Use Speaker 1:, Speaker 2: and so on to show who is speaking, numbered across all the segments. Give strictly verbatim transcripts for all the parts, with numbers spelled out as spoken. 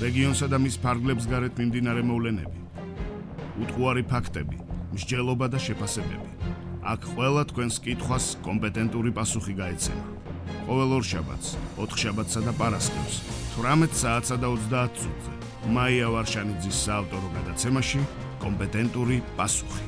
Speaker 1: რეგიონსა და მის ფარგლებს გარეთ მიმდინარე მოვლენები, უტყუარი ფაქტები, მსჯელობა და შეფასებები. აქ ყველა თქვენს კითხვას კომპეტენტური პასუხი გაეცემა. ყოველ ორშაბათს, ოთხშაბათსა და პარასკევს, თვრამეტ საათსა და ოცდაათ წუთზე. მაია ვარშანიძის საავტორო გადაცემაში კომპეტენტური პასუხი.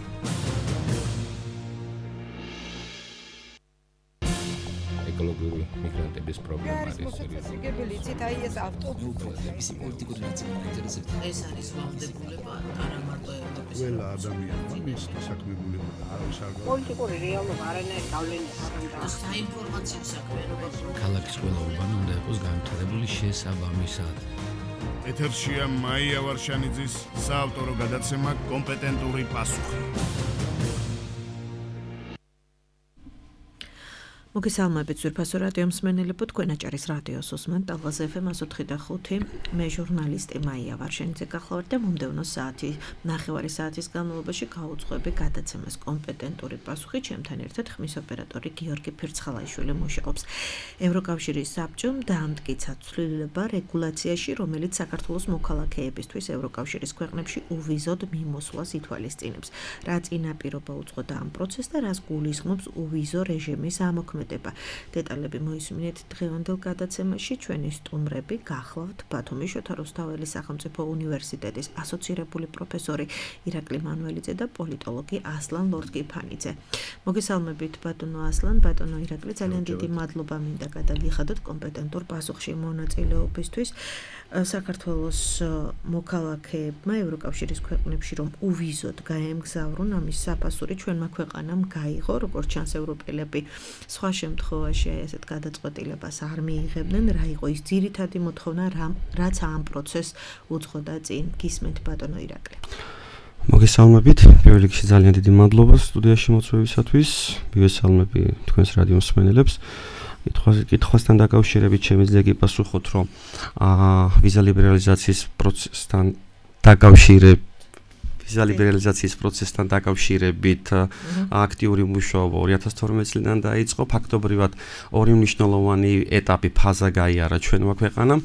Speaker 2: ეკოლოგიური მიგრანტების პრობლემა არის
Speaker 3: მოსაწესრიგებელი იცით აი ეს ავტობუსების
Speaker 4: პოლიტიკური ნაციონალიზაცია
Speaker 5: ეს არის ვალდებულება არა მარტო ევროპის
Speaker 6: ყველა ადამიანმა მის დასაქმებულება და არავის არ
Speaker 3: პოლიტიკური რეალობა არანაირ გავლენას არ აქვს
Speaker 5: საინფორმაციო საქმიანობა
Speaker 4: ქალაქის ყველა უბანი უნდა იყოს განვითარებული შესაბამისად.
Speaker 1: ეთერშია მაია ვარშანიძის საავტორო გადაცემა კომპეტენტური პასუხი.
Speaker 7: მოგესალმებით ძვირფასო რადიო მსმენელებო, თქვენ აჭარის რადიოს უსმენთ ტალღაზე ეფ ემ ათი და ხუთი. მე ჟურნალისტი მაია ვარშანიძე გახლავართ და მომდევნო საათი ნახევარი საათის განმავლობაში გავუძღვები გადაცემას კომპეტენტური პასუხი. ჩემთან ერთად ხმის ოპერატორი გიორგი ფირცხალაიშვილი მუშაობს. ევროკავშირის საბჭომ დაამტკიცა ცვლილება რეგულაციაში, რომელიც საქართველოს მოქალაქეებისთვის ევროკავშირის ქვეყნებში უვიზოდ მიმოსვლას ითვალისწინებს. რა წინაპირობა უძღოდა ამ პროცესს და რას გულისხმობს უვიზო რეჟიმის ამოქმედება. დეტალები მოისმინეთ დღევანდელ გადაცემაში. ჩვენი სტუმრები გახლავთ ბათუმის შოთა რუსთაველის სახელმწიფო უნივერსიტეტის ასოცირებული პროფესორი ირაკლი მანუელიძე და პოლიტოლოგი ასლან ლორთგიფანიძე. მოგესალმებით ბატონო ასლან, ბატონო ირაკლი, ძალიან დიდი მადლობა მინდა გადაგიხადოთ კომპეტენტურ პასუხში მონაწილეობისთვის. საქართველოს მოქალაქეებმა ევროკავშირის ქვეყნებში რომ უვიზოდ გაემგზავრონ, ამის საფასური ჩვენმა ქვეყანამ გაიღო, როგორც ჩანს ევროპელები სხვა შემთხვევაში ესეთ გადაწყვეტილებას არ მიიღებდნენ. რა იყო ის ძირითადი მოთხოვნა, რაც ამ პროცესს უძღოდა წინ? გისმენთ ბატონო ირაკლი.
Speaker 8: მოგესალმებით, პირველ რიგში ძალიან დიდი მადლობა სტუდიაში მოწვევისათვის. მივესალმები თქვენს რადიო მსმენელებს. კითხვასთან დაკავშირებით შემიძლია გიპასუხოთ, რომ ვიზა ლიბერალიზაციის პროცესთან დაკავშირებით ვიზა ლიბერალიზაციის პროცესთან დაკავშირებით აქტიური მუშაობა ორი ათას თორმეტი წლიდან დაიწყო. ფაქტობრივად ორი მნიშვნელოვანი ეტაპი ფაზა გაიარა ჩვენმა ქვეყანამ.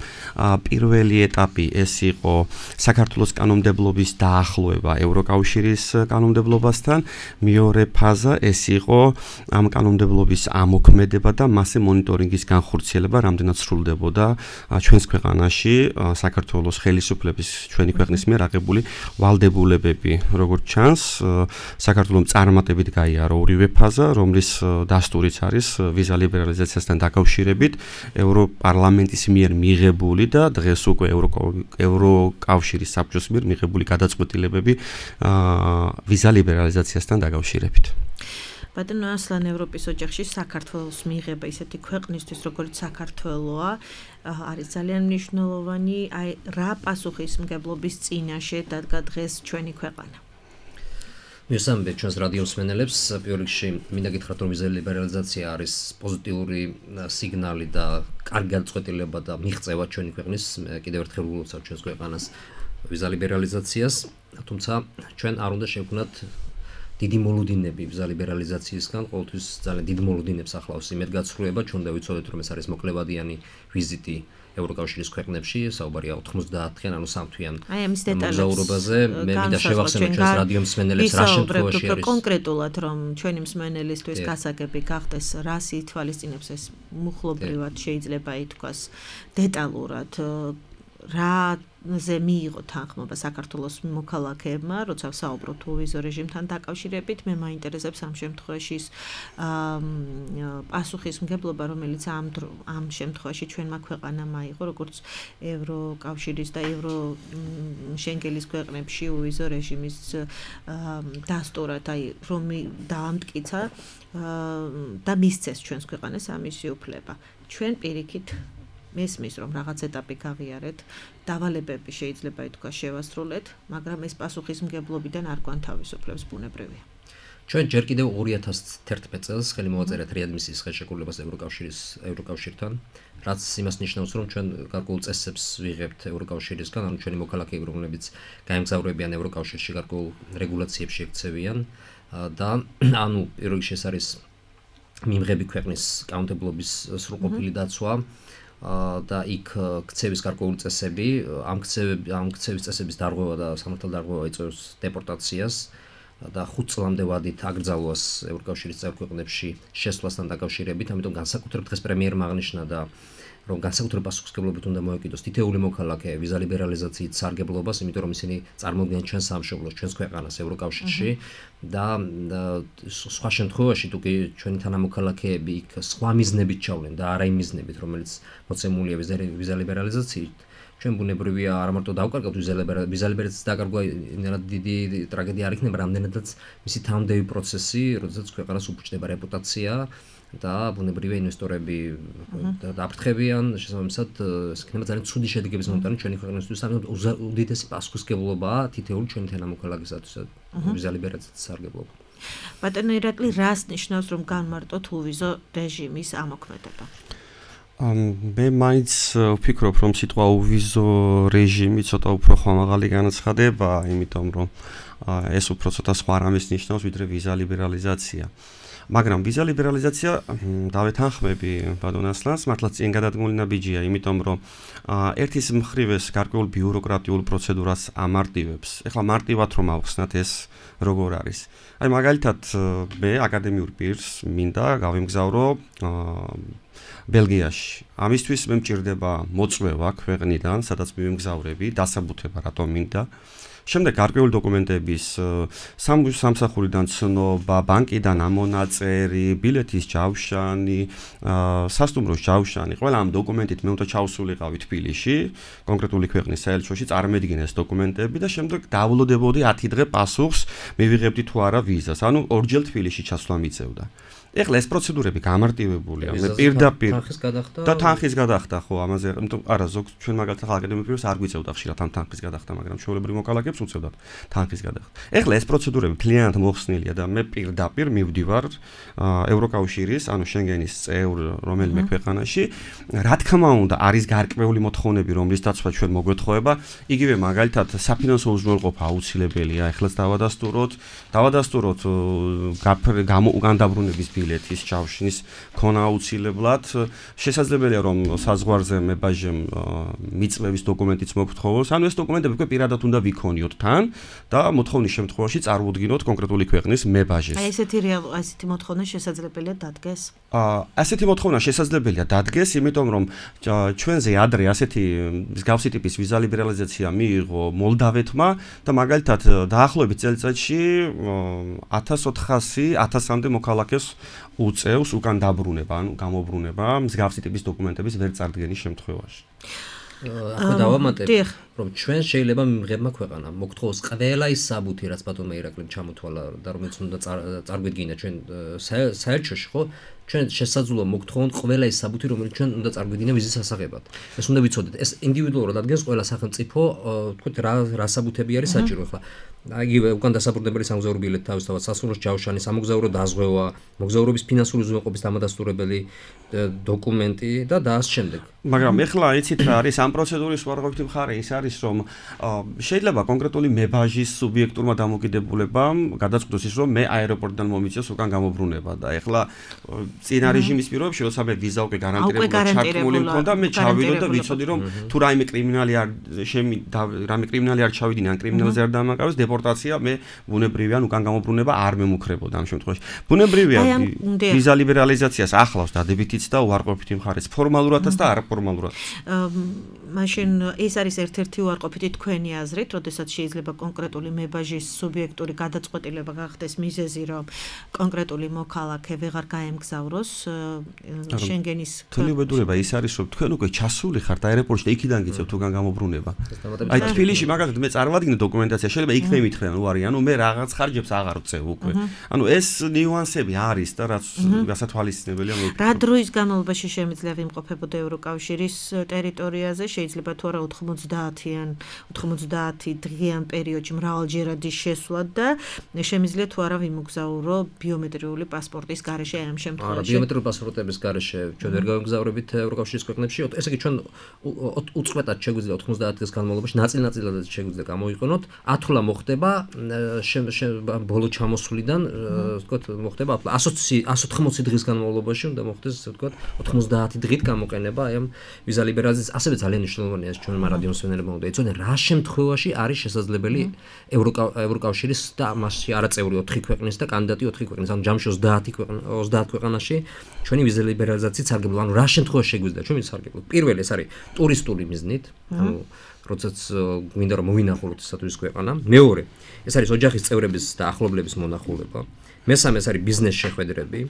Speaker 8: პირველი ეტაპი ეს იყო საქართველოს კანონმდებლობის დაახლოება ევროკავშირის კანონმდებლობასთან. მეორე ფაზა ეს იყო ამ კანონმდებლობის ამოქმედება და მასზე მონიტორინგის განხორციელება, რამდენად სრულდებოდა ჩვენს ქვეყანაში საქართველოს ხელისუფლების ჩვენი ქვეყნის მიერ აღებული ვალდებულებები. როგორც ჩანს, საქართველოს წარმატებით გაიარა ორივე ფაზა, რომლის დასტურიც არის ვიზა ლიბერალიზაციასთან დაკავშირებით ევროპარლამენტის მიერ მიღებული და დღეს უკვე ევროკავშირის საბჭოს მიერ მიღებული გადაწყვეტილებები ვიზა ლიბერალიზაციასთან დაკავშირებით.
Speaker 7: ბატონო ასლან, ევროპის ოჯახში საქართველოს მიღება ისეთი ქვეყნისთვის, როგორც საქართველოა, არის ძალიან მნიშვნელოვანი. აი, რა პასუხისმგებლობის წინაშე დადგა დღეს ჩვენი ქვეყანა?
Speaker 4: მივესალმებით ჩვენს რადიო მსმენელებს. პირველ რიგში მინდა გითხრათ, რომ ვიზა ლიბერალიზაცია არის პოზიტიური სიგნალი და კარგი გადაწყვეტილება და მიღწევა ჩვენი ქვეყნის. კიდევ ერთხელ ულოცავ ჩვენს ქვეყანას ვიზა ლიბერალიზაციას, თუმცა ჩვენ არ უნდა შევქმნათ დიდი მოლოდინები ვიზა ლიბერალიზაციისგან. ყოველთვის ძალიან დიდ მოლოდინებს ახლავს იმედგაცრუება. ჩვენ უნდა ვიცოდეთ, რომ ეს არის მოკლევადიანი ვიზიტი ევროკავშირის ქვეყნებში, საუბარია ოთხმოცდაათი-იან, ანუ სამთვიან მოგზაურობაზე. მე მინდა შევახსენო ჩვენს რადიო მსმენელებს რა შემთხვევაში არის
Speaker 7: კონკრეტულად, რომ ჩვენი მსმენელისთვის გასაგები გახდეს, რას ითვალისწინებს ეს მუხლობრივად შეიძლება ითქვას დეტალურად, რაზე მიიღო თანხმობა საქართველოს მოქალაქეებმა, როცა საუბრობთ უვიზო რეჟიმთან დაკავშირებით. მე მაინტერესებს ამ შემთხვევაში პასუხისმგებლობა, რომელიც ამ ამ შემთხვევაში ჩვენმა ქვეყანამ აიღო, როგორც ევროკავშირის და ევროშენგენის ქვეყნებში უვიზო რეჟიმის დასტურად, აი რომ დაამტკიცა და მისცეს ჩვენს ქვეყანას ამისი უფლება. ჩვენ პირიქით მესმის, რომ რაღაც ეტაპი გავიარეთ, დავალებები შეიძლება ითქვას შევასრულეთ, მაგრამ ეს პასუხისმგებლობიდან არ გვანთავისუფლებს ბუნებრივია.
Speaker 4: ჩვენ ჯერ კიდევ ორი ათას თერთმეტ წელს ხელი მოვაწერეთ რეადმისიის ხელშეკრულებას ევროკავშირის ევროკავშირთან, რაც იმას ნიშნავს, რომ ჩვენ გარკვეულ წესებს ვიღებთ ევროკავშირისგან, ანუ ჩვენი მოქალაქეები, რომლებიც გაემგზავრებიან ევროკავშირში, გარკვეულ რეგულაციებში ექცევიან და ანუ პირველ რიგში ეს არის მიმღები ქვეყნის კანონმდებლობის სრულყოფილი დაცვა. და იქ ქცევის გარკვეული წესები, ამ ქცევები ამ ქცევის წესების დარღვევა და სამართალ დარღვევა იწვევს დეპორტაციას და ხუთ წლამდე ვადით აკრძალვას ევროკავშირის წევრ ქვეყნებში შესვლასთან დაკავშირებით, ამიტომ განსაკუთრებით დღეს პრემიერმა აღნიშნა და რომ განსაკუთრებით პასუხისმგებლობით უნდა მოეკიდოს თითეული მოქალაქე ვიზა ლიბერალიზაციით სარგებლობას, იმიტომ რომ ისინი წარმოადგენენ ჩვენს სამშობლოს, ჩვენს ქვეყანას ევროკავშირში და სხვა შემთხვევაში თუ კი ჩვენი თანამოქალაქეები იქ სხვა მიზნებით ჩავლენ და არა იმ მიზნებით, რომელიც მოცემულია ვიზა ლიბერალიზაციით, ჩვენ ბუნებრივია არა მარტო დავკარგავთ ვიზა ლიბერალიზაციის დაკარგვა იმდენად დიდი ტრაგედია არ იქნება, რამდენადაც მისი თანამდები პროცესი, როდესაც ქვეყანას უფუჭდება რეპუტაცია და ბუნებრივია ინვესტორები დააფრთხებიან, შესაბამისად ეს იქნება ძალიან ცუდი შედეგების მომტანი ჩვენი ქვეყნისთვის, ამიტომ უდიდესი პასუხისმგებლობაა თითოეული ჩვენი თანამოქალაქისათვის ვიზა ლიბერალიზაციის სარგებლობა.
Speaker 7: ბატონო ირაკლი, რას ნიშნავს რომ განმარტოთ უვიზო რეჟიმის ამოქმედება?
Speaker 8: მე მაინც ვფიქრობ რომ სიტყვა უვიზო რეჟიმი ცოტა უფრო ხმამაღალი განაცხადება, იმიტომ რომ ეს უფრო ცოტა სხვა რამეს ნიშნავს ვიდრე ვიზა ლიბერალიზაცია. მაგრამ ვიზა ლიბერალიზაცია დავეთანხმები ბატონ ასლანს, მართლაც წინ გადადგმული ნაბიჯია, იმიტომ რომ ერთის მხრივ ეს გარკვეულ ბიუროკრატიულ პროცედურას ამარტივებს. ეხლა მარტივად რომ ავხსნათ ეს როგორ არის. აი მაგალითად მე აკადემიურ პირს მინდა გავიმგზავრო ბელგიაში. ამისთვის მე მჭირდება მოწვევა ქვეყნიდან, სადაც მივიმგზავრები, დასაბუთება რატომ მინდა. შემდეგ გარკვეული დოკუმენტების სამსახურიდან ცნობა, ბანკიდან ამონაწერი, ბილეთის ჯავშანი, სასტუმროს ჯავშანი, ყველა ამ დოკუმენტით მე უნდა ჩავსულიყავი თბილისში, კონკრეტული ქვეყნის საელჩოში, წარმედგინე ეს დოკუმენტები და შემდეგ დაავლოდებოდი ათი დღე პასუხს, მივიღებდი თუ არა ვიზას. ანუ ორჯერ თბილისში ჩასვლა მიწევდა. ეხლა ეს პროცედურები გამარტივებულია. მე პირდაპირ
Speaker 4: თანხის გადახდა
Speaker 8: და თანხის გადახდა, ხო, ამაზე, იმიტომ არა ზოგ ჩვენ მაგალითად აკადემიურ პირს არ გვიწევდა ხშირად ამ თანხის გადახდა, მაგრამ ჩვეულებრივ მოქალაქეებს უწევდათ თანხის გადახდა. ეხლა ეს პროცედურები მთლიანად მოხსნილია და მე პირდაპირ მივდივარ ევროკავშირის, ანუ შენგენის წევრ რომელიმე ქვეყანაში. რა თქმა უნდა, არის გარკვეული მოთხოვნები, რომლის დაცვა ჩვენ მოგვეთხოვება, იგივე მაგალითად საფინანსო უზრუნველყოფა აუცილებელია. ეხლაც დავადასტუროთ, დავადასტუროთ განდაბრუნების ბილეთის ჯავშნის ქონა აუცილებლად. შესაძლებელია რომ საზღვარზე მებაჟემ მიწვევის დოკუმენტიც მოგთხოვოს. ანუ ეს დოკუმენტები უკვე პირადად უნდა ვიქონიოთ თან და მოთხოვნის შემთხვევაში წარმოვდგინოთ კონკრეტული ქვეყნის მებაჟეს.
Speaker 7: აი ესეთი რეალ ესეთი მოთხოვნა შესაძლებელია დადგეს?
Speaker 8: აა ასეთი მოთხოვნა შესაძლებელია დადგეს, იმიტომ რომ ჩვენზე ადრე ასეთი მსგავსი ტიპის ვიზა ლიბერალიზაცია მიიღო მოლდავეთმა და მაგალითად დაახლოებით წელიწადში ათას ოთხასი ათასამდე მოქალაქეს უწევს უკან დაბრუნება, ანუ გამობრუნება მსგავსი ტიპის დოკუმენტების ვერ წარდგენის შემთხვევაში.
Speaker 4: ახლა დავამატებ, რომ ჩვენ შეიძლება მიღებმა ქვეყანა მოგთხოვოს ყველა ის საბუთი, რაც ბატონმა ირაკლიმ ჩამოთვალა და რომელიც უნდა წარგვიდგინა ჩვენ საელჩოში, ხო? ჩვენ შესაძლოა მოგთხოვონ ყველა ის საბუთი, რომელიც ჩვენ უნდა წარგვიდგინა ვიზის სასაღებად. ეს უნდა ვიცოდეთ. ეს ინდივიდუალურად ადგენს ყველა სახელმწიფო, თქვით რა რა საბუთები არის საჭირო ახლა. იგივე უკან დასაბრუნებელი სამგზავრო ბილეთი თავისთავად, სასურველი ჯავშანი, სამგზავრო დაზღვევა, მოგზაურობის ფინანსური უზრუნველყოფის დამადასტურებელი დოკუმენტი და და ამ შემდეგ.
Speaker 8: მაგრამ ეხლა იცით რა არის ამ პროცედურის უარყოფითი მხარე ის არის რომ შეიძლება კონკრეტული მებაჟის სუბიექტურმა დამოკიდებულებამ გადაწყვიტოს ის რომ მე აეროპორტიდან მომიწევს უკან გამობრუნება და ეხლა წინა რეჟიმის პირობებში როცა მე ვიზა უკვე გარანტირებული ჩართული მქონდა მე ჩავიდო და ვიცოდი რომ თუ რაიმე კრიმინალი არ შემი რაიმე კრიმინალი არ ჩავიდინე ან კრიმინალზე არ დამაკავეს დეპორტაცია მე ბუნებრივია ან უკან გამობრუნება არ მემუქრებოდა ამ შემთხვევაში ბუნებრივია ვიზა ლიბერალიზაციას ახლავს დადებითიც და უარყოფითი მხარეც ფორმალურადაც და არაფორმალურად
Speaker 7: მაშინ ეს არის ერთ-ერთი უარყოფითი თქვენი აზრით, როდესაც შეიძლება კონკრეტული მებაჟის სუბიექტური გადაწყვეტილება გახდეს მიზეზი, რომ კონკრეტული მოქალაქე ვეღარ გაემგზავროს შენგენის
Speaker 8: თვლიუბედურება ის არის, რომ თქვენ უკვე ჩასული ხართ აეროპორტში და იქიდან გიწევთ უკან გამობრუნება. აი თბილისში მაგალითად მე წარმოვადგინე დოკუმენტაცია, შეიძლება იქ მე მითხრენ უარი, ანუ მე რაღაც ხარჯებს აღარ ვწევ უკვე. ანუ ეს ნიუანსები არის და რაც გასათვალისწინებელია მე.
Speaker 7: რა დროის განმავლობაში შემიძლია ვიმყოფებოდა ევროკავშირის ტერიტორიაზე? შეიძლება თუ არა ოთხმოცდაათიან ოთხმოცდაათი დღიან პერიოდში მრავალჯერადი შესვლა და შემიძლია თუ არა ვიმოგზაურო ბიომეტრიული პასპორტის გარეშე ამ შემთხვევაში.
Speaker 4: არა, ბიომეტრიული პასპორტების გარეშე ჩვენ ვერ გავიმგზავრებით ევროკავშირის ქვეყნებში. ესე იგი ჩვენ უწყვეტად შეგვიძლია ოთხმოცდაათი დღის განმავლობაში ნაწილ-ნაწილად შეგვიძლია გამოიყენოთ. ათვლა მოხდება ბოლო ჩამოსვლიდან, ვთქვათ, მოხდება εκατოთხმოცი დღის განმავლობაში უნდა მოხდეს, ვთქვათ, ოთხმოცდაათი დღით გამოყენება აი ამ ვიზა ლიბერალიზაციის. ასევე ძალიან მნიშვნელოვანია ჩვენმა რადიო მსმენელებმა უნდა იცოდნენ რა შემთხვევაში არის შესაძლებელი ევროკავშირის და მასში არაწევრი ოთხი ქვეყნის და კანდიდატი ოთხი ქვეყნის, ანუ ჯამში ოცდაათი ქვეყანაში ჩვენი ვიზა ლიბერალიზაციით სარგებლობა, ანუ რა შემთხვევაში შეგვიძლია ჩვენ ვისარგებლოთ. პირველი ეს არის ტურისტული მიზნით, ანუ როდესაც გვინდა რომ მოვინახულოთ ესათვის ქვეყანა. მეორე, ეს არის ოჯახის წევრების და ახლობლების მონახულება. მესამე ეს არის ბიზნეს შეხვედრები.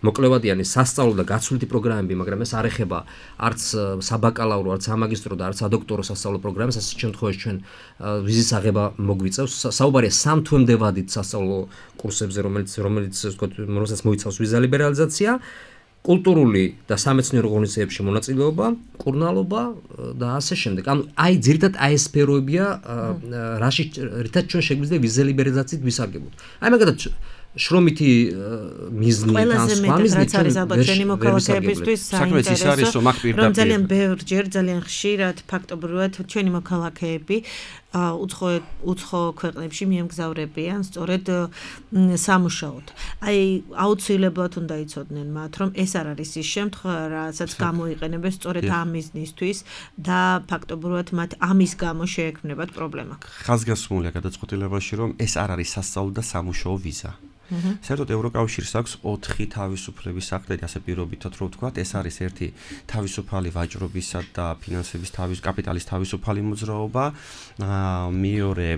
Speaker 4: მოკლევადიანი სასწავლო და გაცვლითი პროგრამები, მაგრამ ეს არ ეხება არც საბაკალავრო, არც სამაგისტრო და არც სადოქტორო სასწავლო პროგრამებს, ასეთ შემთხვევაში ჩვენ ვიზის აღება მოგვიწევს. საუბარია სამ თვემდე ვადით სასწავლო კურსებზე, რომელიც რომელიც ვთქვათ, რომელსაც მოიცავს ვიზა ლიბერალიზაცია, კულტურული და სამეცნიერო ღონისძიებებში მონაწილეობა, კურნალობა და ასე შემდეგ. ანუ აი ძირითადად აი ეს სფეროებია, რაში რითაც ჩვენ შეგვიძლია ვიზა ლიბერალიზაციით ვისარგებლოთ. აი მაგალითად შრომითი მიზნი და სხვა მიზნი
Speaker 7: რაც არის ალბათ ჩვენი მოქალაქეებისთვის საინტერესო, რომ ძალიან ბევრჯერ, ძალიან ხშირად ფაქტობრივად ჩვენი მოქალაქეები უცხო უცხო ქვეყნებში მიემგზავრებიან სწორედ სამუშაოდ. აი აუცილებლად უნდა იცოდნენ მათ, რომ ეს არ არის ის შემთხვევა, რასაც გამოიყენებენ სწორედ ამ მიზნისთვის და ფაქტობრივად მათ ამის გამო შეექმნებათ პრობლემა.
Speaker 8: ხაზგასმულია გადაწყვეტილებაში, რომ ეს არ არის სასწავლო და სამუშაო ვიზა. საერთოდ ევროკავშირს აქვს ოთხი თავისუფლების აქტი, ასე პირობითად რო ვთქვათ, ეს არის ერთი თავისუფალი ვაჭრობისა და ფინანსების თავის კაპიტალის თავისუფალი მოძრაობა, მეორე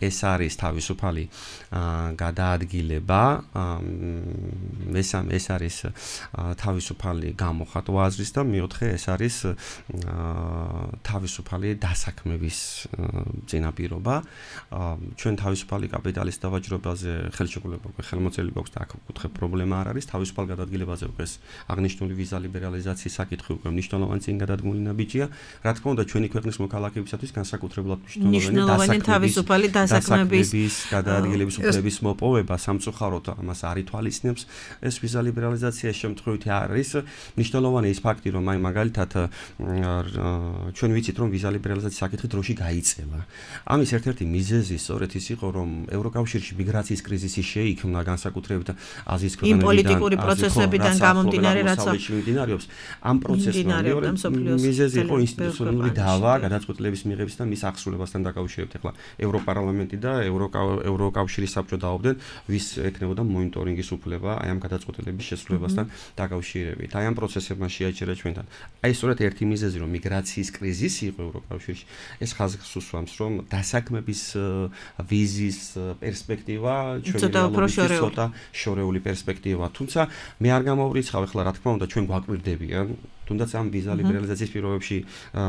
Speaker 8: ეს არის თავისუფალი გადაადგილება, მესამე ეს არის თავისუფალი გამოხატვა აზრის და მეოთხე ეს არის თავისუფალი დასაქმების წინაპირობა. ჩვენ თავისუფალი კაპიტალის დავაჭრობაზე ხელშეკრულება ხელმოწერილი გვაქვს და აქ უკითხე პრობლემა არ არის. თავისუფალ გადადგილებაზე უკვე აღნიშნული ვიზა ლიბერალიზაციის საკითხი უკვე მნიშვნელოვანი წინ გადადგმული ნაბიჯია. რა თქმა უნდა, ჩვენი ქვეყნის მოქალაქეებისათვის განსაკუთრებულად
Speaker 7: მნიშვნელოვანი თავისუფალი დასაქმების
Speaker 8: გადაადგილების უფლების მოპოვება სამწუხაროდ ამას არ ითვალისწინებს. ეს ვიზა ლიბერალიზაცია შემთხვევით არის მნიშვნელოვანი ის ფაქტი, რომ აი მაგალითად ჩვენ ვიცით, რომ ვიზა ლიბერალიზაციის საკითხი დროში გაიწელა. ამის ერთ-ერთი მიზეზი სწორედ ის იყო, რომ ევროკავშირში მიგრაციის კრიზისი შეიქმნა განსაკუთრებით აზიის ქვეყნებიდან,
Speaker 7: იმ პოლიტიკური პროცესებიდან გამომდინარე, რაც
Speaker 8: მიმდინარეობს. ამ პროცესმა მეორე მიზეზი იყო ინსტიტუციონალური დავა გადაწყვეტილების მიღების და მის აღსრულებასთან დაკავშირებით. ახლა ევროპარლამენტი და ევროკავშირის საბჭო დაობდნენ, ვის ექნებოდა მონიტორინგის უფლება აი ამ გადაწყვეტილების შესრულებასთან დაკავშირებით. აი ამ პროცესებმა შეაჩერა ჩვენთან. აი სწორედ ერთი მიზეზი, რომ მიგრაციის კრიზისი იყო ევროკავშირში, ეს ხაზს უსვამს, რომ დასაქმების ვიზის პერსპექტივა ცოტა შორეული პერსპექტივა. თუმცა მე არ გამოვრიცხავ ახლა რა თქმა უნდა ჩვენ გვაკვირდებიან თუნდაც ამ ვიზა ლიბერალიზაციის პირობებში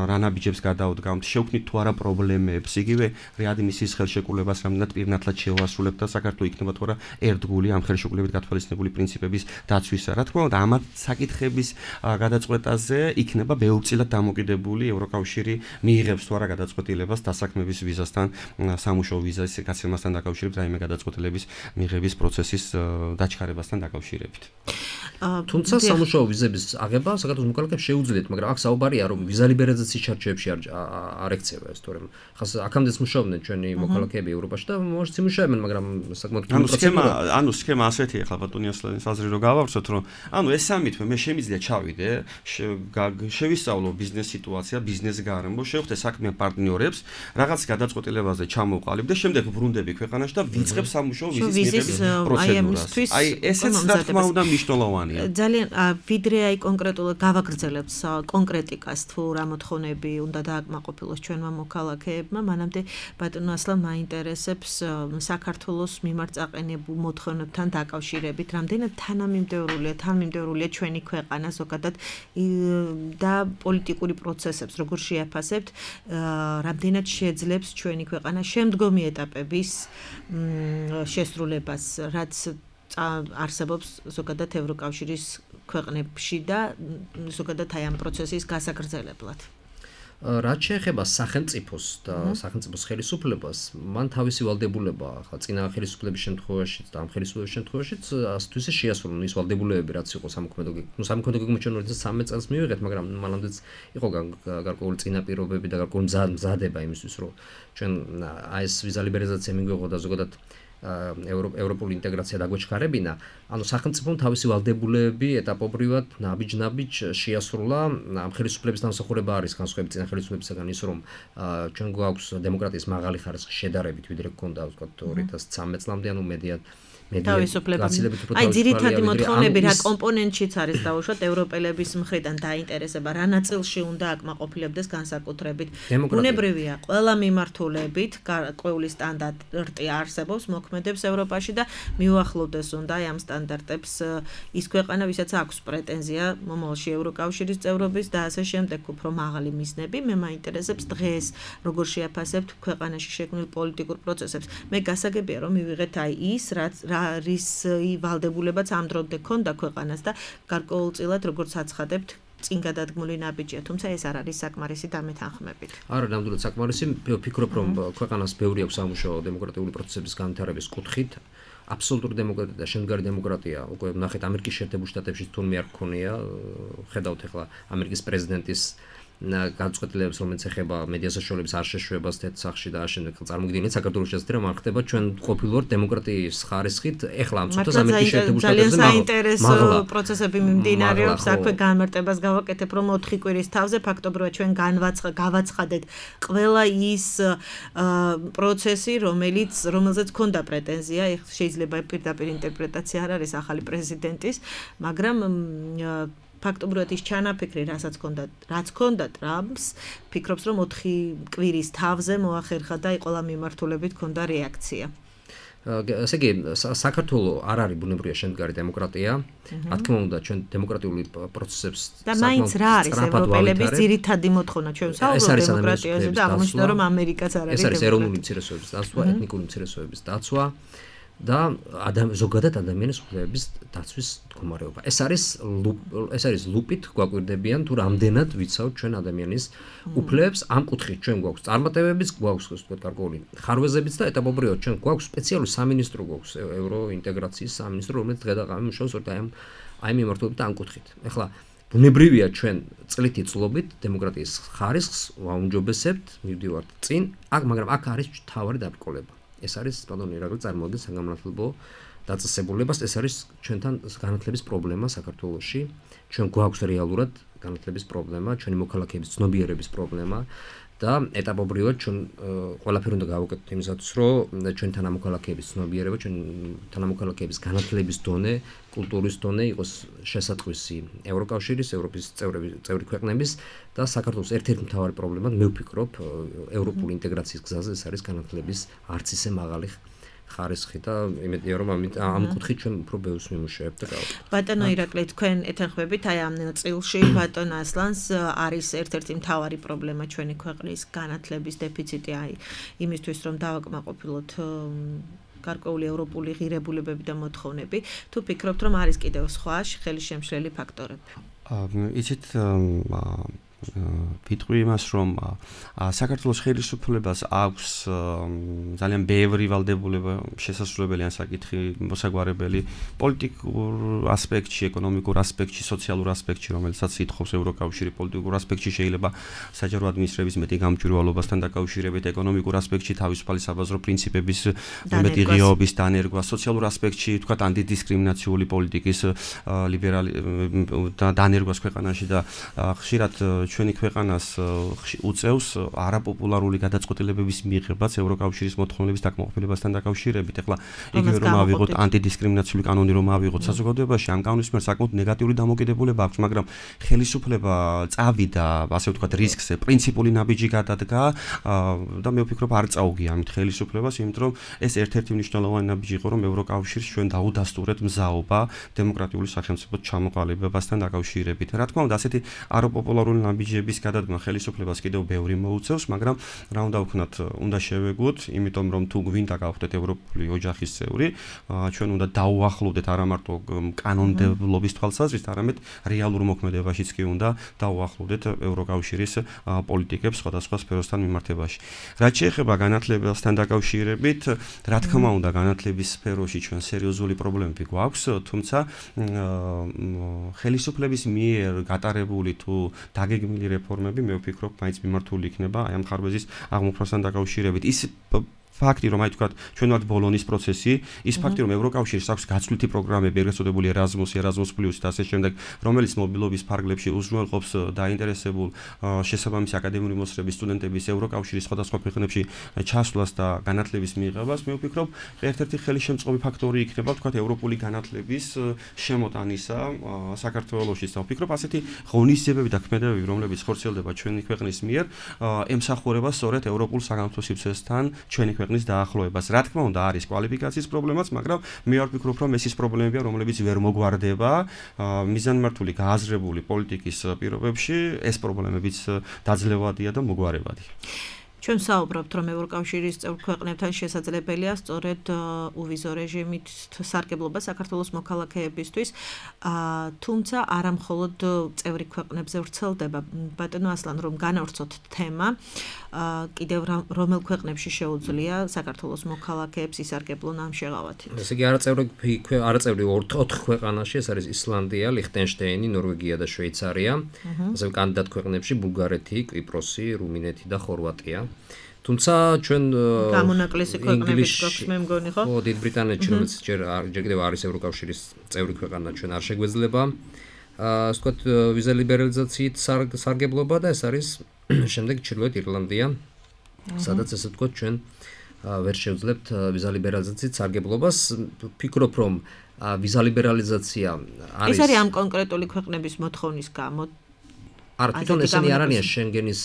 Speaker 8: რა ნაბიჯებს გადავდგამთ, შევქმნით თუ არა პრობლემებს, იგივე რეადმისიის ხელშეკრულებას რამდენად პირნათლად შევასრულებთ და საქართველოს იქნება თუ არა ერთგული ამ ხელშეკრულებით გათვალისწინებული პრინციპების დაცვისა. რა თქმა უნდა, ამ საკითხების გადაწყვეტაზე იქნება ბევრწილად დამოკიდებული ევროკავშირი მიიღებს თუ არა გადაწყვეტილებას დასაქმების ვიზასთან, სამუშაო ვიზის გაცემასთან დაკავშირებით, რაიმე გადაწყვეტილების მიღების პროცესის დაჩქარებასთან დაკავშირებით.
Speaker 4: თუმცა სამუშაო ვიზების აღება საქართველოს მოქალაქეებს შეუძლიათ, მაგრამ აქ საუბარია, რომ ვიზა ლიბერალიზაციის ჩარჩოებში არ ექცევა ეს, თორემ ხას აქამდეც მუშაობდნენ ჩვენი მოქალაქეები ევროპაში და მოშიც იმუშავებენ, მაგრამ საკმაოდ
Speaker 8: ანუ სქემა, ანუ სქემა ასეთი ახლა ბატონი ასლანის აზრი რო გავავსოთ, რომ ანუ ეს სამითმე მე შემიძლია ჩავიდე, შევისწავლო ბიზნეს სიტუაცია, ბიზნეს გარემო, შევხვდე საქმე პარტნიორებს, რაღაც გადაწყვეტილებაზე ჩამოვყალიბ და შემდეგ ვრუნდები ქვეყანაში და ვიწყებ სამუშაო ვიზის მიღების პროცედურას. აი ესეც რა თქმა უნდა მნიშვნელოვანია.
Speaker 7: ძალიან ვიდრე აი კონკრეტულად გავაგრძელებთ კონკრეტიკას თუ რა მოთხოვნები უნდა დააკმაყოფილოს ჩვენმა მოქალაქეებმა, მანამდე ბატონო ასლან მაინტერესებს საქართველოს მიმართ წაყენებულ მოთხოვნებთან დაკავშირებით, რამდენად თანამიმდევრულია, თანამიმდევრულია ჩვენი ქვეყანა ზოგადად და პოლიტიკური პროცესებს როგორ შეაფასებთ, რამდენად შეძლებს ჩვენი ქვეყანა შემდგომი ეტაპების შესრულებას, რაც არსებობს ზოგადად ევროკავშირის ქვეყნებში და ზოგადად აი ამ პროცესის გასაგრძელებლად.
Speaker 4: რაც შეეხება სახელმწიფოს და სახელმწიფოს ხელისუფლებას, მან თავისი ვალდებულება ახლა წინა ხელისუფლების შემთხვევაშიც და ამ ხელისუფლების შემთხვევაშიც ასე თუ ისე შეასრულა ის ვალდებულებები, რაც იყო სამოქმედო ნუ სამოქმედო გეგმის როდესაც სამი წელს მივიღეთ, მაგრამ მანამდეც იყო გარკვეული წინაპირობები და გარკვეული მზადება იმისთვის, რომ ჩვენ აი ეს ვიზა ლიბერალიზაცია მიგვიღო და ზოგადად ევროპული ინტეგრაცია დაგვეჩქარებინა, ანუ სახელმწიფომ თავისი ვალდებულებები ეტაპობრივად ნაბიჯ-ნაბიჯ შეასრულა. ამ ხელისუფლების დამსახურება არის განსხვავებით წინა ხელისუფლებისგან ის, რომ ჩვენ გვაქვს დემოკრატიის მაღალი ხარისხი შედარებით, ვიდრე გქონდა ვთქვათ ორი ათას ცხრამეტ წლამდე, ანუ მედია
Speaker 7: აი ძირითადი მოთხოვნები რა კომპონენტშიც არის დაუშვათ ევროპელების მხრიდან დაინტერესება რა ნაწილში უნდა აკმაყოფილებდეს განსაკუთრებით ბუნებრივია ყველა მიმართულებით გარკვეული სტანდარტი არსებობს მოქმედებს ევროპაში და მიუახლოვდეს უნდა ამ სტანდარტებს ის ქვეყანა ვისაც აქვს პრეტენზია მომავალში ევროკავშირის წევრობის და ასე შემდეგ უფრო მაღალი მიზნები მე მაინტერესებს დღეს როგორ შეაფასებთ ქვეყანაში შექმნილ პოლიტიკურ პროცესებს მე გასაგებია რომ მივიღეთ აი ის რაც რის ვალდებულებაც ამ დრომდე ქონდა ქვეყანას და გარკვეულწილად როგორც აცხადებთ წინ გადადგმული ნაბიჯია, თუმცა ეს არ არის საკმარისი დამეთანხმებით.
Speaker 4: არა, ნამდვილად საკმარისი, ვფიქრობ, რომ ქვეყანას ბევრი აქვს სამუშაო დემოკრატიული პროცესების განვითარების კუთხით. აბსოლუტური დემოკრატია და შემდგარი დემოკრატია უკვე ნახეთ ამერიკის შეერთებულ შტატებში თურმე არ გქონია, ხედავთ ახლა ამერიკის პრეზიდენტის განწყობილებას რომელიც ეხება მედია საშუალებების არ შეშვებას თეთრ და ამავდროულად წარმოგიდგენთ საქართველოს შესაძლოა რომ არ ხდება ჩვენ ყოფილვართ დემოკრატიის ხარისხით ეხლა ამ წუთას ამერიკის შეერთებულ შტატებში
Speaker 7: ძალიან საინტერესო პროცესები მიმდინარეობს აქვე განმარტებას გავაკეთებ რომ ოთხი კვირის თავზე ფაქტობრივად ჩვენ გავაცხადეთ ყველა ის პროცესი რომელიც რომელზეც ქონდა პრეტენზია შეიძლება პირდაპირ ინტერპრეტაცია არ არის ახალი პრეზიდენტის მაგრამ ფაქტობრივად ის ჩანაფიქრი, რასაც ჰქონდა, რაც ჰქონდა ტრამპს, ფიქრობს, რომ ოთხი კვირის თავზე მოახერხა და ყველა მიმართულებით ჰქონდა რეაქცია.
Speaker 4: ესე იგი, საქართველოს არ არის ბუნებრივია შემდგარი დემოკრატია. რა თქმა უნდა, ჩვენ დემოკრატიული პროცესებს
Speaker 7: და მაინც რა არის ევროპელების ძირითადი მოთხოვნა ჩვენ საუბრობთ დემოკრატიაზე და აღმოჩნდა, რომ ამერიკაც არ არის.
Speaker 4: ეს არის ეროვნული მცირესობების დაცვა, ეთნიკური მცირესობების დაცვა. და ზოგადად ადამიანის უფლებების დაცვის მდგომარეობა. ეს არის ეს არის ლუპით გვაკვირდებიან თუ რამდენად ვიცავთ ჩვენ ადამიანის უფლებებს ამ კუთხით ჩვენ გვაქვს წარმატებებიც გვაქვს ასე ვთქვათ გარკვეული ხარვეზებიც და ეტაპობრივად ჩვენ გვაქვს სპეციალური სამინისტრო გვაქვს ევროინტეგრაციის სამინისტრო რომელიც დღედაღამე მუშაობს აი ამ აი მიმართულებით ამ კუთხით. ეხლა ბუნებრივია ჩვენ წლითი წლობით დემოკრატიის ხარისხს ვაუმჯობესებთ მივდივართ წინ აქ მაგრამ აქ არის თავარი დაბრკოლება. ეს არის ბატონო ირაკლი წარმოადგენს საგანმანათლებლო დაწესებულებას ეს არის ჩვენთან განათლების პრობლემა საქართველოში ჩვენ გვაქვს რეალურად განათლების პრობლემა ჩვენი მოქალაქეების ცნობიერების პრობლემა და ეტაპობრივად ჩვენ ყველაფერი უნდა გავაკეთოთ იმისათვის რომ ჩვენ თანამოქალაქეების ცნობიერება ჩვენ თანამოქალაქეების განათლების დონე კულტურის დონე იყოს შესატყვისი ევროკავშირის ევროპის წევრები წევრი ქვეყნების და საქართველოს ერთ-ერთი მთავარი პრობლემა მე ვფიქრობ ევროპული ინტეგრაციის გზაზე ეს არის განათლების არც ისე მაღალი ხარისხი და იმედია რომ ამ კუთხით ჩვენ უფრო ბევრს მიმუშავებთ და გავაკეთებთ.
Speaker 7: ბატონო ირაკლი თქვენ ეთანხმებით აი ამ ნაწილში ბატონ ასლანს არის ერთ-ერთი მთავარი პრობლემა ჩვენი ქვეყნის განათლების დეფიციტი აი იმისთვის რომ დავაკმაყოფილოთ გარკვეული ევროპული ღირებულებები და მოთხოვნები თუ ფიქრობთ რომ არის კიდევ სხვა ხელისშემშლელი ფაქტორები?
Speaker 8: იცით ვიტყვი იმას რომ საქართველოს ხელისუფლებას აქვს ძალიან ბევრი ვალდებულება შესაძლებელი ან საკითხი მოსაგვარებელი პოლიტიკურ ასპექტში, ეკონომიკურ ასპექტში, სოციალურ ასპექტში, რომელსაც ითხოვს ევროკავშირი პოლიტიკურ ასპექტში შეიძლება საჯარო ადმინისტრების მეტი გამჭვირვალობასთან დაკავშირებით, ეკონომიკურ ასპექტში თავისუფალი საბაზრო პრინციპების მეტი ღიობის დანერგვა, სოციალურ ასპექტში თქვათ ანტიდისკრიმინაციული პოლიტიკის ლიბერალი დანერგვას ქვეყანაში და ხშირად ჩვენი ქვეყანას უწევს არაპოპულარული გადაწყვეტილებების მიღებას ევროკავშირის მოთხოვნების დაკმაყოფილებასთან დაკავშირებით. ეხლა იგივე რომ ავიღოთ ანტიდისკრიმინაციული კანონი რომ ავიღოთ საზოგადოებაში, ამ კანონის მიერ საკმაოდ ნეგატიური დამოკიდებულება აქვს, მაგრამ ხელისუფლება წავიდა, ასე ვთქვათ, რისკზე, პრინციპული ნაბიჯი გადადგა და მე ვფიქრობ არ წაუგია ამით ხელისუფლებას, იმიტომ რომ ეს ერთ-ერთი მნიშვნელოვანი ნაბიჯი იყო, რომ ევროკავშირს ჩვენ დაუდასტურეთ მზაობა დემოკრატიული სახელმწიფოს ჩამოყალიბებასთან დაკავშირებით. რა თქმა უნდა, ასეთი არაპოპულარული ნაბიჯი ნაბიჯების გადადგმა ხელისუფლებას კიდევ ბევრი მოუწევს, მაგრამ რა უნდა ვქნათ, უნდა შევეგოთ, იმიტომ რომ თუ გვინდა გავხდეთ ევროპული ოჯახის წევრი, ჩვენ უნდა დაუახლოვდეთ არა მარტო კანონმდებლობის თვალსაზრისით, არამედ რეალურ მოქმედებაშიც კი უნდა დაუახლოვდეთ ევროკავშირის პოლიტიკებს სხვადასხვა სფეროსთან მიმართებაში. რაც შეეხება განათლებასთან დაკავშირებით, რა თქმა უნდა, განათლების სფეროში ჩვენ სერიოზული პრობლემები გვაქვს, თუმცა ხელისუფლების მიერ გატარებული თუ დაგეგმილი რეფორმები მე ვფიქრობ, მაინც მიმართული იქნება აი ამ ხარვეზის აღმოფხვრასთან დაკავშირებით. ის ფაქტი რომ აი თქვათ ჩვენ ვართ ბოლონის პროცესი, ის ფაქტი რომ ევროკავშირს აქვს გაცვლითი პროგრამები, ეგრეთ წოდებული Erasmus, Erasmus Plus და ასე შემდეგ, რომელიც მობილობის ფარგლებში უზრუნველყოფს დაინტერესებულ შესაბამისი აკადემიური მოსწრების სტუდენტების ევროკავშირის სხვადასხვა ქვეყნებში ჩასვლას და განათლების მიღებას, მე ვფიქრობ, ერთ-ერთი ხელისშემწყობი ფაქტორი იქნება თქვათ ევროპული განათლების შემოტანისა საქართველოში და ვფიქრობ, ასეთი ღონისძიებები და ქმედებები, რომლებიც ხორციელდება ჩვენი ქვეყნის მიერ, ემსახურება სწორედ ევროპულ საგანმანათლებლო სივრცესთან ჩვენი ქვეყნის დაახლოებას. რა თქმა უნდა, არის კვალიფიკაციის პრობლემაც, მაგრამ მე არ ვფიქრობ, რომ ეს ის პრობლემებია, რომლებიც ვერ მოგვარდება მიზანმართული გააზრებული პოლიტიკის პირობებში, ეს პრობლემებიც დაძლევადია და მოგვარებადი.
Speaker 7: ჩვენ საუბრობთ, რომ ევროკავშირის წევრ ქვეყნებთან შესაძლებელია სწორედ უვიზო რეჟიმით სარგებლობა საქართველოს მოქალაქეებისთვის, თუმცა არა მხოლოდ წევრი ქვეყნებზე ვრცელდება. ბატონო ასლან, რომ განავრცოთ თემა, კიდევ რომელ ქვეყნებში შეუძლია საქართველოს მოქალაქეებს ისარგებლონ ამ შეღავათით?
Speaker 4: ესე იგი არაწევრი არაწევრი ოთხ ქვეყანაში, ეს არის ისლანდია, ლიხტენშტეინი, ნორვეგია და შვეიცარია, ასევე კანდიდატ ქვეყნებში ბულგარეთი, კვიპროსი, რუმინეთი და ხორვატია. თუმცა ჩვენ
Speaker 7: გამონაკლისი ქვეყნებით გვაქვს მე მგონი ხო?
Speaker 4: ხო, დიდ ბრიტანეთში რომელიც ჯერ ჯერ კიდევ არის ევროკავშირის წევრი ქვეყანა, ჩვენ არ შეგვეძლება ასე ვთქვათ ვიზა ლიბერალიზაციით სარგებლობა და ეს არის შემდეგ ჩრდილოეთ ირლანდია, სადაც ასე ვთქვათ ჩვენ ვერ შევძლებთ ვიზა ლიბერალიზაციით სარგებლობას. ვფიქრობ, რომ ვიზა ლიბერალიზაცია არის
Speaker 7: ეს არის ამ კონკრეტული ქვეყნების მოთხოვნის გამო
Speaker 4: არა, თვითონ ესენი არ არიან შენგენის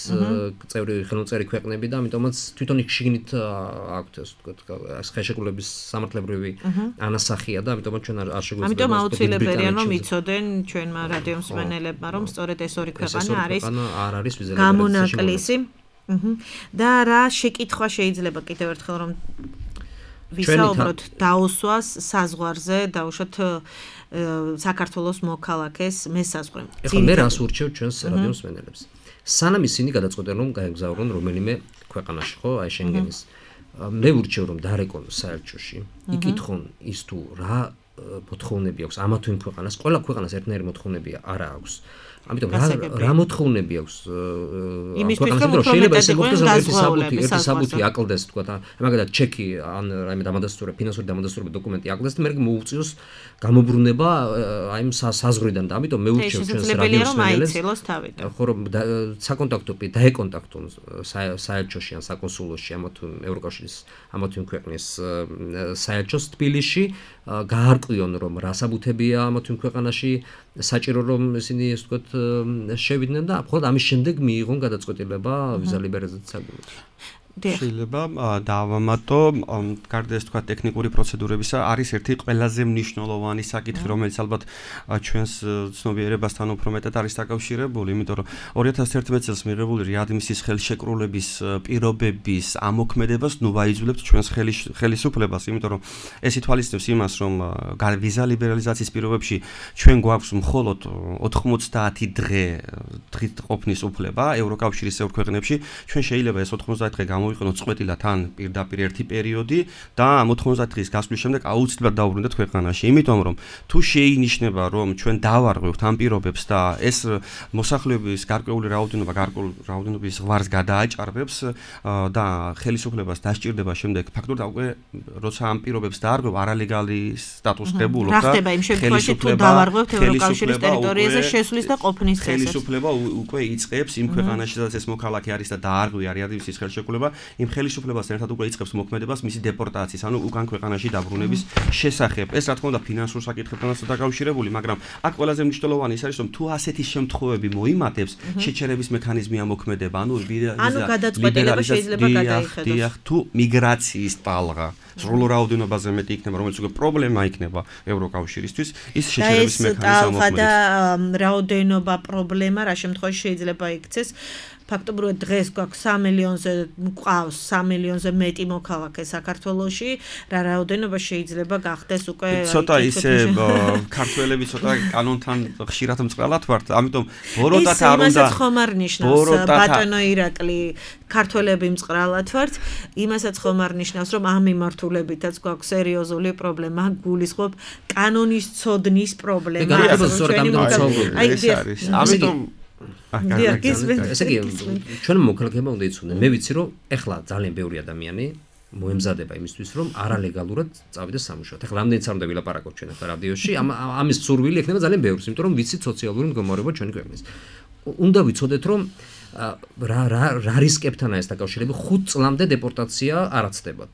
Speaker 4: წევრი ხელმოწერი ქვეყნები და ამიტომაც თვითონ შიგნით აქვთ ასე ვთქვათ ხელშეკრულების სამართლებრივი ანასახია და ამიტომაც ჩვენ არ შეგვეძლება.
Speaker 7: ამიტომ აუცილებელია რომ იცოდენ ჩვენმა რადიომსმენელებმა რომ სწორედ ეს ორი ქვეყანა არის
Speaker 4: არ არის ვიზა
Speaker 7: გამონაკლისი. და რა შეკითხვა შეიძლება კიდევ ერთხელ რომ ვისაუბროთ დაუსვას საზღვარზე, დაუშვათ საქართველოს მოქალაქეს მესაზღვრემ.
Speaker 4: ეხლა მე რას ურჩევ ჩვენს რადიომსმენელებს? სანამ ისინი გადაწყვეტენ რომ გაეგზავნონ რომელიმე ქვეყანაში, ხო, აი შენგენის. მე ურჩევ რომ დარეკონ საელჩოში, იკითხონ ის თუ რა მოთხოვნები აქვს ამა თუ იმ ქვეყანას, ყველა ქვეყანას ერთნაირი მოთხოვნები არ აქვს. ამიტომ რა რა მოთხოვნები აქვს ქვეყანას, რომ შეიძლება ესე მოხდეს რომ ერთი საბუთი, ერთი საბუთი აკლდეს, თქვა და მაგალითად ჩეკი ან რაიმე დამადასტურებელი ფინანსური დამადასტურებელი დოკუმენტი აკლდეს და მე მოუწიოს გამობრუნება აი იმ საზღვრიდან და ამიტომ მე ურჩევ ჩვენს რადიოსმენელებს ხო რომ საკონტაქტო დაეკონტაქტონ საელჩოში ან საკონსულოში ამა თუ ევროკავშირის ამა თუ იმ ქვეყნის საელჩოს თბილისში, გაარკვიონ რომ რა საბუთებია ამა თუ იმ ქვეყანაში საჭირო რომ ისინი ასე ვთქვათ შევიდნენ და მხოლოდ ამის შემდეგ მიიღონ გადაწყვეტილება ვიზა ლიბერალიზაციის საკითხში.
Speaker 8: შეიძლება დავამატო, გარდა ეს თქვა ტექნიკური პროცედურებისა, არის ერთი ყველაზე მნიშვნელოვანი საკითხი, რომელიც ალბათ ჩვენს ცნობიერებასთან უფრო მეტად არის დაკავშირებული, იმიტომ რომ ორი ათას ერთმეტ წელს მიღებული რეადმისიის ხელშეკრულების პირობების ამოქმედებას ნუ ვაიძულებთ ჩვენს ხელისუფლებას, იმიტომ რომ ეს ითვალისწინებს იმას, რომ ვიზა ლიბერალიზაციის პირობებში ჩვენ გვაქვს მხოლოდ ოთხმოცდაათი დღე დღით ყოფნის უფლება ევროკავშირის წევრ ქვეყნებში, ჩვენ შეიძლება ეს ოთხმოცდაათი დღე მოვიყენოთ წყვეტილად ან პირდაპირ ერთი პერიოდი და ამ ოთხმოცდაათი დღის გასვლის შემდეგ აუცილებლად დავუბრუნდეთ ქვეყანაში. იმიტომ რომ თუ შეინიშნება რომ ჩვენ დავარღვევთ ამ პირობებს და ეს მოსახლეობის გარკვეული რაოდენობა გარკვეული რაოდენობის ზღვარს გადააჭარბებს და ხელისუფლებას დასჭირდება შემდეგ ფაქტობრივად უკვე როცა ამ პირობებს დაარღვევ არალეგალი სტატუსს ღებულობ და
Speaker 7: რა ხდება იმ შემთხვევაში თუ დავარღვევთ ევროკავშირის ტერიტორიაზე შესვლის და ყოფნის წესებს?
Speaker 8: ხელისუფლება უკვე იწყებს იმ ქვეყანაში სადაც ეს მოქალაქე არის და დაარღვია რეადმისიის ხელშეკრულება იმ ხელისუფლებასთან ერთად უკვე იწყებს მოქმედებას მისი დეპორტაციის, ანუ უკან ქვეყანაში დაბრუნების შესახებ. ეს რა თქმა უნდა ფინანსურ საკითხებთანაც დაკავშირებული, მაგრამ აქ ყველაზე მნიშვნელოვანი ის არის, რომ თუ ასეთი შემთხვევები მოიმატებს, შეჩერების მექანიზმი ამოქმედება, ანუ
Speaker 7: ანუ გადაწყვეტილება შეიძლება გადაიხედოს.
Speaker 8: დიახ, თუ მიგრაციის ტალღა სრულ რაოდენობაზე მეტი იქნება, რომელიც უკვე პრობლემა იქნება ევროკავშირისთვის, ის შეჩერების მექანიზმი ამოქმედებს.
Speaker 7: და რაოდენობა პრობლემა რა შემთხვევაში შეიძლება იქცეს ფაქტობრივად დღეს გვაქვს სამი მილიონზე მყავს სამი მილიონზე მეტი მოქალაქე საქართველოში, რა რაოდენობა შეიძლება გახდეს უკვე
Speaker 8: ცოტა ისე ქართველები ცოტა კანონთან ხშირად მწყრალად ვართ, ამიტომ ბოროტად არ უნდა
Speaker 7: იმასაც ხომ არ ნიშნავს ბატონო ირაკლი ქართველები მწყრალად ვართ, იმასაც ხომ არ ნიშნავს რომ ამ მიმართულებითაც გვაქვს სერიოზული პრობლემა, გულისხმობ კანონის ცოდნის პრობლემა.
Speaker 8: აი ეს არის. ამიტომ
Speaker 4: ესე იგი, ჩვენ მოქალაქეებმა უნდა იცოდნენ. მე ვიცი, რომ ეხლა ძალიან ბევრი ადამიანი მოემზადება იმისთვის, რომ არალეგალურად წავიდეს სამუშაოდ. ეხლა რამდენიც არ უნდა ვილაპარაკოთ ჩვენ ახლა რადიოში, ამ ამის სურვილი ექნება ძალიან ბევრს, იმიტომ რომ ვიცით სოციალური მდგომარეობა ჩვენი ქვეყნის. უნდა ვიცოდეთ, რომ რა რა რა რისკებთანაა ეს დაკავშირებული, ხუთ წლამდე დეპორტაცია არ აცდებათ.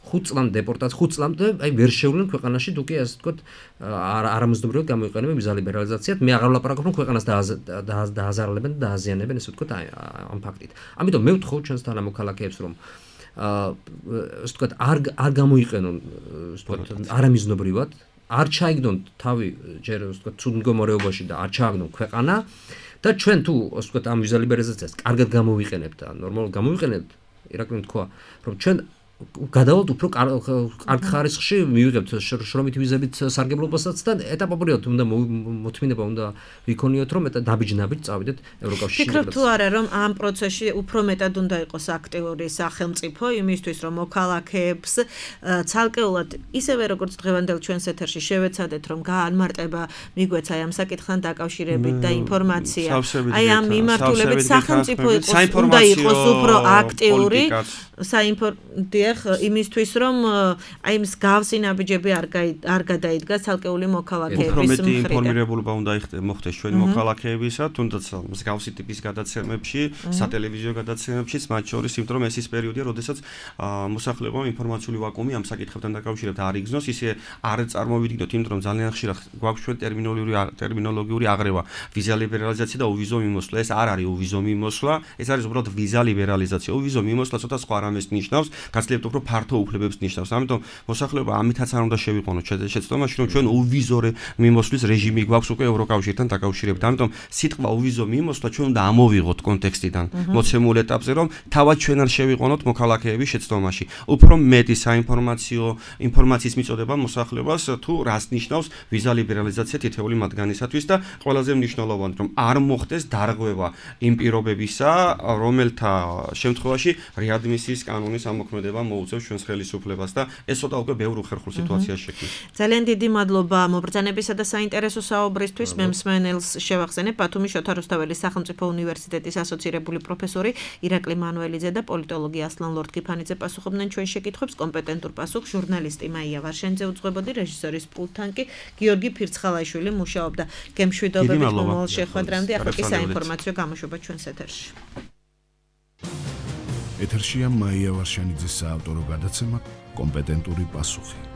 Speaker 4: ხუთ წლამდე დეპორტაცია, ხუთ წლამდე აი ვერ შევლენ ქვეყანაში, თუ კი ასე ვთქვათ, არამეზნობრივად გამოიყენებენ ვიზა ლიბერალიზაციად. მე აღარ ვლაპარაკობ, რომ ქვეყანას დააზარალებენ და დააზიანებენ, ასე ვთქვათ, ამ ფაქტით. ამიტომ მე ვთხოვ ჩვენს თანამოქალაქეებს, რომ ასე ვთქვათ, არ არ გამოიყენონ, ასე ვთქვათ, არამეზნობრივად, არ ჩაიგდონ თავი ჯერ ასე ვთქვათ, ცუდ მდგომარეობაში და არ ჩააგდონ ქვეყანა და ჩვენ თუ ასე ვთქვათ, ამ ვიზა ლიბერალიზაციას კარგად გამოვიყენებთ და ნორმალურად გამოვიყენებთ, ირაკლიმ თქვა, რომ ჩვენ გადავალთ უფრო კარგ ხარისხში მივიღებთ შრომითი ვიზებით სარგებლობასაც და ეტაპობრივად უნდა მოთმინება უნდა ვიქონიოთ, რომ დაბიჯ-ნაბიჯ წავიდეთ ევროკავშირში.
Speaker 7: ფიქრობ თუ არა, რომ ამ პროცესში უფრო მეტად უნდა იყოს აქტიური სახელმწიფო იმისთვის, რომ მოქალაქეებს ცალკეულად ისევე როგორც დღევანდელ ჩვენს ეთერში შევეცადეთ, რომ გაანმარტება მიგვეცა ამ საკითხთან დაკავშირებით და ინფორმაცია. აი ამ მიმართულებით სახელმწიფო უნდა იყოს უფრო აქტიური საინფორმაციო იმისთვის, რომ აი მსგავსი ნაბიჯები არ არ გადაიდგა ცალკეული მოქალაქეების
Speaker 8: მხრიდან. უფრო მეტი ინფორმირებულობა უნდა მოხდეს ჩვენი მოქალაქეებისა, თუნდაც მსგავსი ტიპის გადაცემებში, სატელევიზიო გადაცემებშიც, მათ შორის, იმიტომ რომ ეს ის პერიოდია, როდესაც მოსახლეობამ ინფორმაციული ვაკუუმი ამ საკითხებთან დაკავშირებით არ იგრძნოს, ისე არ წარმოვიდგინოთ, იმიტომ რომ ძალიან ხშირად გვაქვს ჩვენ ტერმინოლოგიური ტერმინოლოგიური აღრევა, ვიზა ლიბერალიზაცია და უვიზო მიმოსვლა. ეს არ არის უვიზო მიმოსვლა, ეს არის უბრალოდ ვიზა ლიბერალიზაცია. უვიზო მიმოსვლა ცოტა სხვა რამეს ნიშნავს, გაცლებთ უფრო ფართო უფლებებს ნიშნავს. ამიტომ მოსახლეობა ამითაც არ უნდა შევიყონოთ შეცდომაში, რომ ჩვენ უვიზო მიმოსვლის რეჟიმი გვაქვს უკვე ევროკავშირთან დაკავშირებით. ამიტომ სიტყვა უვიზო მიმოსვლა ჩვენ უნდა ამოვიღოთ კონტექსტიდან, მოცემულ ეტაპზე, რომ თავად ჩვენ არ შევიყონოთ მოქალაქეების შეცდომაში. უფრო მეტი საინფორმაციო ინფორმაციის მიწოდება მოსახლეობას თუ რას ნიშნავს ვიზა ლიბერალიზაცია თითეული მათგანისათვის და ყველაზე მნიშვნელოვანი, რომ არ მოხდეს დარღვევა იმ პირობებისა, რომელთა შემთხვევაში რეადმისიის კანონის ამოქმედება მოუწევს ჩვენს ხელისუფლებას და ეს ცოტა უკვე ბევრ უხერხულ სიტუაციას შექმნის.
Speaker 7: ძალიან დიდი მადლობა მობრძანებისა და საინტერესო საუბრისთვის. მე მსმენელს შევახსენებ ბათუმის შოთა რუსთაველის სახელმწიფო უნივერსიტეტის ასოცირებული პროფესორი ირაკლი მანუელიძე და პოლიტოლოგი ასლან ლორდ-კიფანიძე პასუხობდნენ ჩვენ შეკითხვებს. კომპეტენტურ პასუხს ჟურნალისტი მაია ვარშენიძე უძღვებოდი, რეჟისორის პულტთან კი გიორგი ფირცხალაიშვილი მუშაობდა. გემშვიდობებით მომავალ შეხვედრამდე. ახლა კი საინფორმაციო გამოშვება ჩვენს ეთერში.
Speaker 1: ეთერშია მაია ვარშენიძის საავტორო გადაცემა კომპეტენტური პასუხი.